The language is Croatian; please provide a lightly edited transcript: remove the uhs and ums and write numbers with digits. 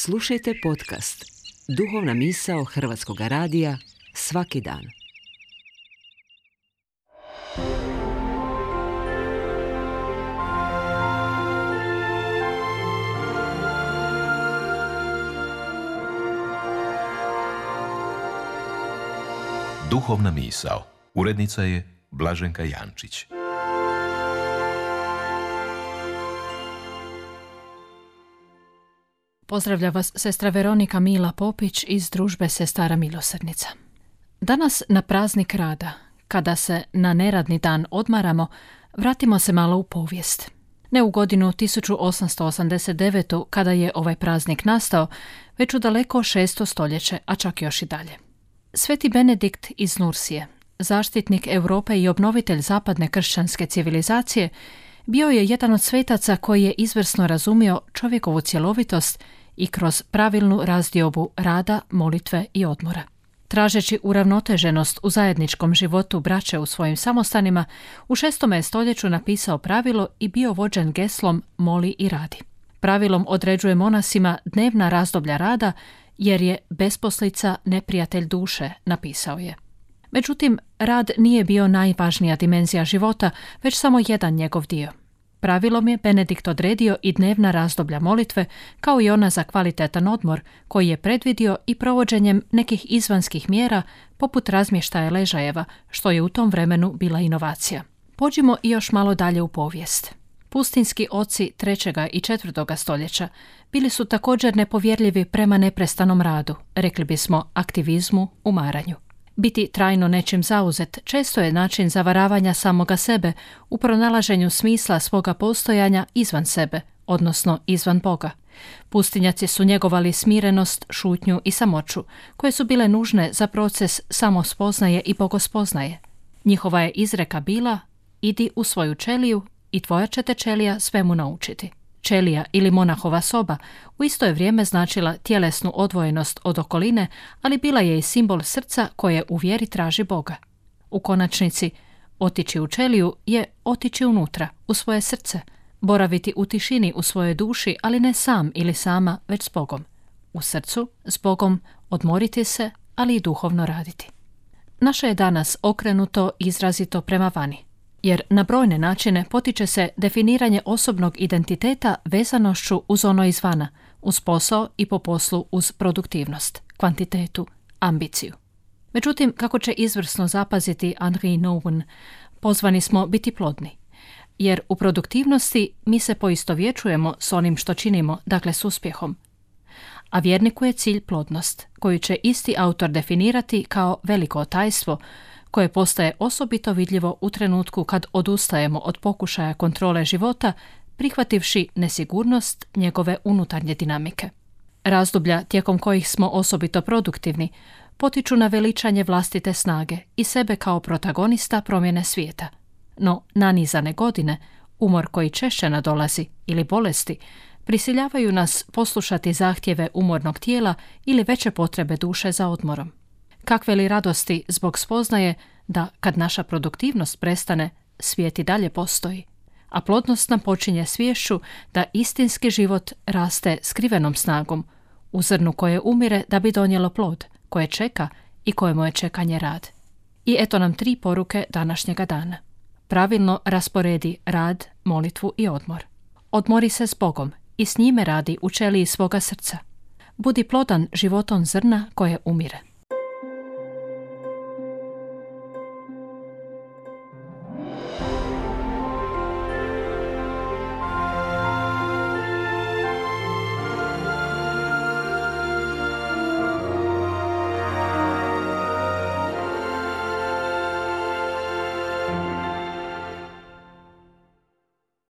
Slušajte podcast Duhovna misao Hrvatskog radija svaki dan. Duhovna misao. Urednica je Blaženka Jančić. Pozdravlja vas sestra Veronika Mila Popić iz družbe Sestara milosrdnica. Danas na praznik rada, kada se na neradni dan odmaramo, vratimo se malo u povijest. Ne u godinu 1889. kada je ovaj praznik nastao, već u daleko 6. stoljeće, a čak još i dalje. Sveti Benedikt iz Nursije, zaštitnik Europe i obnovitelj zapadne kršćanske civilizacije, bio je jedan od svetaca koji je izvrsno razumio čovjekovu cjelovitost i kroz pravilnu razdiobu rada, molitve i odmora. Tražeći uravnoteženost u zajedničkom životu braće u svojim samostanima, u 6. stoljeću napisao pravilo i bio vođen geslom moli i radi. Pravilom određuje monasima dnevna razdoblja rada, jer je besposlica neprijatelj duše, napisao je. Međutim, rad nije bio najvažnija dimenzija života, već samo jedan njegov dio. Pravilom je Benedikt odredio i dnevna razdoblja molitve, kao i ona za kvalitetan odmor, koji je predvidio i provođenjem nekih izvanskih mjera, poput razmještaja ležajeva, što je u tom vremenu bila inovacija. Pođimo i još malo dalje u povijest. Pustinski oci 3. i 4. stoljeća bili su također nepovjerljivi prema neprestanom radu, rekli bismo aktivizmu, umaranju. Biti trajno nečim zauzet često je način zavaravanja samoga sebe u pronalaženju smisla svoga postojanja izvan sebe, odnosno izvan Boga. Pustinjaci su njegovali smirenost, šutnju i samoću, koje su bile nužne za proces samospoznaje i bogospoznaje. Njihova je izreka bila: idi u svoju čeliju i tvoja će te čelija svemu naučiti. Čelija ili monahova soba u isto je vrijeme značila tjelesnu odvojenost od okoline, ali bila je i simbol srca koje u vjeri traži Boga. U konačnici, otići u čeliju je otići unutra, u svoje srce, boraviti u tišini u svojoj duši, ali ne sam ili sama, već s Bogom. U srcu, s Bogom, odmoriti se, ali i duhovno raditi. Naše je danas okrenuto izrazito prema vani, jer na brojne načine potiče se definiranje osobnog identiteta vezanošću uz ono izvana, uz posao i po poslu uz produktivnost, kvantitetu, ambiciju. Međutim, kako će izvrsno zapaziti Henri Nouwen, pozvani smo biti plodni, jer u produktivnosti mi se poistovjećujemo s onim što činimo, dakle s uspjehom. A vjerniku je cilj plodnost, koju će isti autor definirati kao veliko tajstvo, koje postaje osobito vidljivo u trenutku kad odustajemo od pokušaja kontrole života, prihvativši nesigurnost njegove unutarnje dinamike. Razdoblja tijekom kojih smo osobito produktivni potiču na veličanje vlastite snage i sebe kao protagonista promjene svijeta. No nanizane godine, umor koji češće nadolazi ili bolesti, prisiljavaju nas poslušati zahtjeve umornog tijela ili veće potrebe duše za odmorom. Kakve li radosti zbog spoznaje da kad naša produktivnost prestane, svijet i dalje postoji, a plodnost nam počinje sviješću da istinski život raste skrivenom snagom, u zrnu koje umire da bi donijelo plod, koje čeka i kojemu je čekanje rad. I eto nam 3 poruke današnjega dana. Pravilno rasporedi rad, molitvu i odmor. Odmori se s Bogom i s njime radi u čeliji svoga srca. Budi plodan životom zrna koje umire.